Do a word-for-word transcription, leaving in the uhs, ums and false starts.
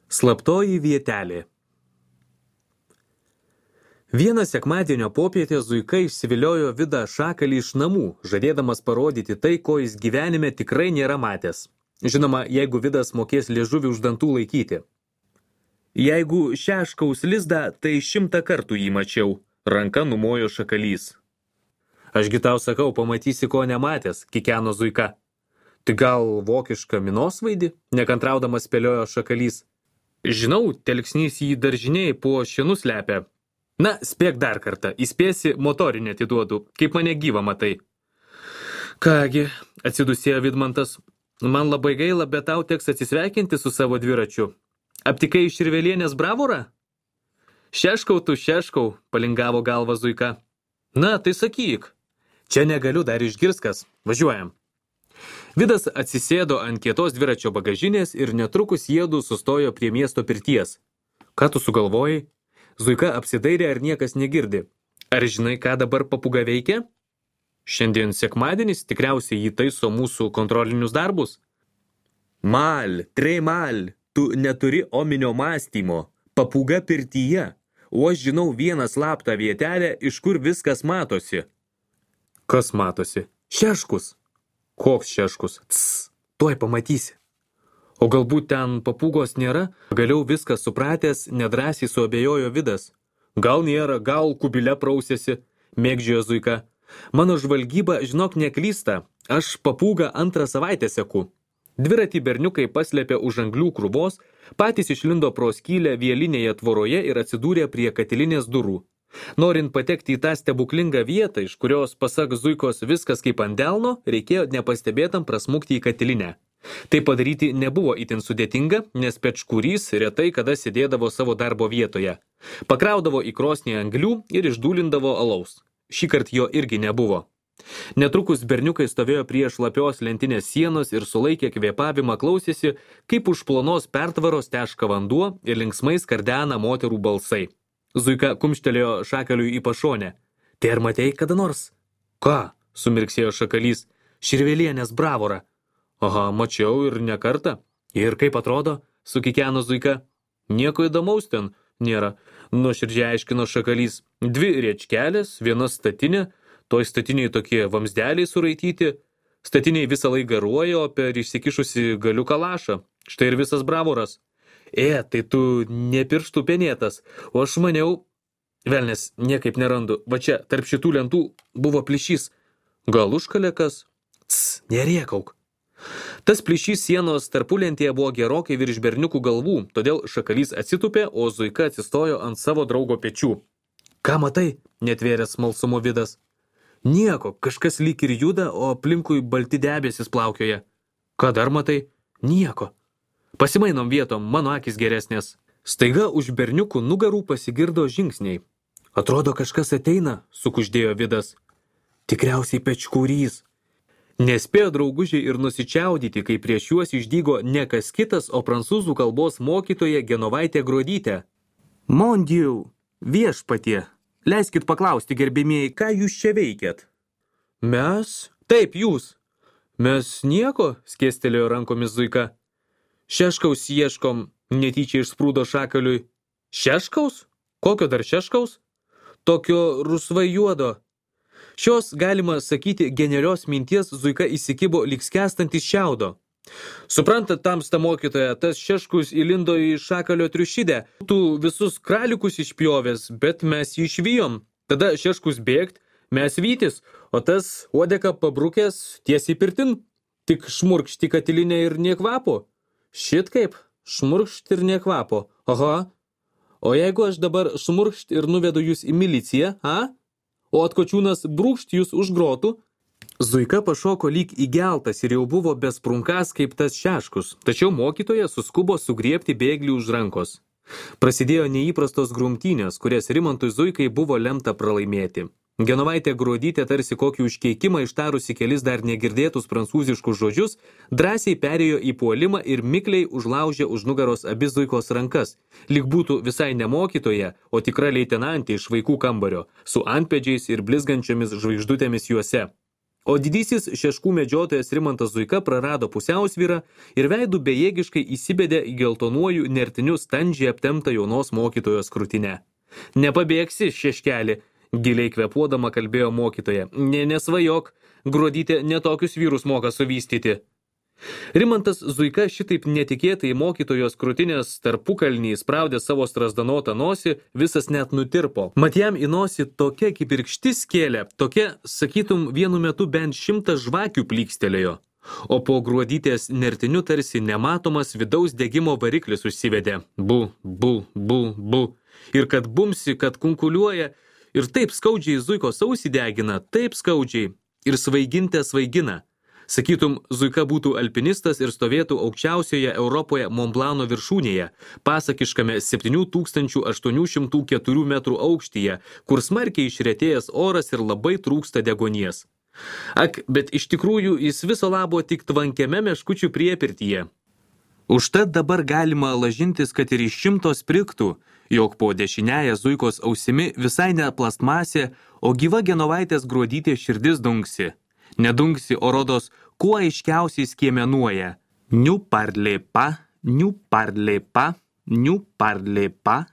Slaptoji vietelė. Vieną sekmadienio popietę Zuika išsiviliojo Vidą Šakalį iš namų, žadėdamas parodyti tai, ko jis gyvenime tikrai nėra matęs. Žinoma, jeigu Vidas mokės liežuvį už dantų laikyti. Jeigu šeškaus lizdą, tai šimtą kartų jį mačiau, ranka numojo Šakalys. Ašgi tau sakau, pamatysi, ko nematęs, kikeno Zuika. Tai gal vokišką minosvaidį, nekantraudamas spėliojo Šakalys. Žinau, telksnys jį daržiniai po šienu slepia. Na, spėk dar kartą, įspėsi, motorinę atiduodu, kaip mane gyvą matai. Kągi, atsidusėjo Vidmantas, man labai gaila, bet tau teks atsisveikinti su savo dviračiu. Aptikai Širvelienės bravorą? Šeškau tu, šeškau, palingavo galva Zuika. Na, tai sakyk. Čia negaliu, dar išgirskas. Važiuojam. Vidas atsisėdo ant kietos dviračio bagažinės ir netrukus jiedu sustojo prie miesto pirties. Ką tu sugalvojai? Zuika apsidairė, ar niekas negirdi. Ar žinai, ką dabar papūga veikia? Šiandien sekmadienis, tikriausiai jį taiso mūsų kontrolinius darbus. Mal, trei mal, tu neturi ominio mąstymo. Papūga pirtyje. O aš žinau vieną slaptą vietelę, iš kur viskas matosi. Kas matosi? Šeškus. Koks šeškus? Cs, tuoj pamatysi. O galbūt ten papūgos nėra? Galiau viskas supratęs, nedrąsiai suabejojo Vidas. Gal nėra, gal kubile prausėsi, mėgdžiojo Zuika. Mano žvalgyba, žinok, neklysta. Aš papūgą antrą savaitę seku. Dviratį berniukai paslėpė už anglių krūvos, patys išlindo pro skylę vielinėje tvoroje ir atsidūrė prie katilinės durų. Norint patekti į tą stebuklingą vietą, iš kurios, pasak Zuikos, viskas kaip ant delno, reikėjo nepastebėtam prasmukti į katilinę. Tai padaryti nebuvo itin sudėtinga, nes pečkurys retai kada sėdėdavo savo darbo vietoje. Pakraudavo į krosnį anglių ir išdūlindavo alaus. Šįkart jo irgi nebuvo. Netrukus berniukai stovėjo prie šlapios lentinės sienos ir sulaikę kvėpavimą klausėsi, kaip už plonos pertvaros teška vanduo ir linksmai skardena moterų balsai. Zuika kumštelėjo Šakaliui į pašonę. Tai ar matei kada nors? Ką? Sumirksėjo Šakalys. Širvelienės bravorą. Aha, mačiau ir ne kartą. Ir kaip atrodo? Sukikeno Zuika. Nieko įdomaus ten nėra. Nuoširdžiai aiškino Šakalys. Dvi riečkelės, viena statinė. Toj statiniai tokie vamsdeliai suraityti. Statiniai visą laiką garuoja, o per išsikišusi galiuką lašą. Štai ir visas bravoras. E, tai tu ne pirštų penėtas, o aš maniau, velnes, niekaip nerandu, va čia, tarp šitų lentų buvo plyšys. Gal užkalė kas? Cs, nerėkauk. Tas plyšys sienos tarpulentėje buvo gerokai virš berniukų galvų, todėl Šakalys atsitupė, o Zuika atsistojo ant savo draugo pečių. Ką matai? Netvėrė smalsumo Vidas. Nieko, kažkas lyg ir juda, o aplinkui balti debesis plaukioja. Ką dar matai? Nieko. Pasimainom vietom, mano akis geresnės. Staiga už berniukų nugarų pasigirdo žingsniai. Atrodo, kažkas ateina, sukuždėjo Vidas. Tikriausiai pečkurys. Nespėjo draugužiai ir nusičiaudyti, kai prieš juos išdygo ne kas kitas, o prancūzų kalbos mokytoja Genovaitė Gruodytė. Mon Dieu, viešpatie, leiskit paklausti, gerbimieji, ką jūs čia veikiat? Mes? Taip, jūs. Mes nieko, skėstelėjo rankomis Zuika. Šeškaus ieškom, netyčia išsprūdo Šakaliui. Šeškaus? Kokio dar šeškaus? Tokio rusvai juodo. Šios, galima sakyti, genialios minties Zuika įsikibo lyg skęstantis šiaudo. Suprantat, tamsta mokytoja, tas šeškus įlindo į Šakalio triušidę. Tu visus kraliukus išpjovės, bet mes jį išvijom. Tada šeškus bėgt, mes vytis, o tas uodeka pabrukęs tiesiai pirtin. Tik šmurkšti katilinę ir nie kvapo. Šit kaip, šmurkšt ir nekvapo. Aha. O jeigu aš dabar šmurkšt ir nuvedu jūs į miliciją, a? O atkočiūnas brūkšt jūs už grotų? Zuika pašoko lyg įgeltas ir jau buvo besprunkas kaip tas šeškus, tačiau mokytoja suskubo sugriebti bėglį už rankos. Prasidėjo neįprastos grumtynės, kurias Rimantui Zuikai buvo lemta pralaimėti. Genovaitė Gruodytė tarsi kokį užkeikimą ištarusi kelis dar negirdėtus prancūziškus žodžius, drąsiai perėjo į puolimą ir mikliai užlaužė už nugaros abi Zuikos rankas, lyg būtų visai ne mokytoja, o tikra leitenantė iš vaikų kambario, su antpėdžiais ir blizgančiomis žvaigždutėmis juose. O didysis šeškų medžiotojas Rimantas Zuika prarado pusiausvyrą ir veidų bejėgiškai įsibedė į geltonuoju nertiniu standžiai aptemptą jaunos mokytojos krūtinę. Nepabėgsi, šeškelį, giliai kvepuodama kalbėjo mokytoja. Ne, nesvajok, Gruodytė netokius vyrus moka suvystyti. Rimantas Zuika šitaip netikėtai mokytojos krūtinės tarpukalnį spraudė savo strazdanotą nosį, visas net nutirpo. Mat jam į nosį tokia kibirkštis kėlė, tokia, sakytum, vienu metu bent šimtas žvakių plykstelėjo. O po Gruodytės nertiniu tarsi nematomas vidaus degimo variklis užsivedė. Bu, bu, bu, bu. Ir kad bumsi, kad kunkuliuoja, ir taip skaudžiai Zuikos ausį degina, taip skaudžiai, ir svaigintė svaigina. Sakytum, Zuika būtų alpinistas ir stovėtų aukščiausioje Europoje Monblano viršūnėje, pasakiškame septynių tūkstančių aštuonių šimtų keturių metrų aukštyje, kur smarkiai išretėjęs oras ir labai trūksta degonies. Ak, bet iš tikrųjų jis viso labo tik tvankiame meškučių priepirtyje. Užtat dabar galima lažintis, kad ir iš šimto sprigtų, jog po dešiniąją Zuikos ausimi visai ne plastmasė, o gyva Genovaitės Gruodytės širdis dunksi. Nedungsi, o rodos, kuo aiškiausiai skiemenuoja. Niu parlė pa, niu parlė pa, niu parlė pa.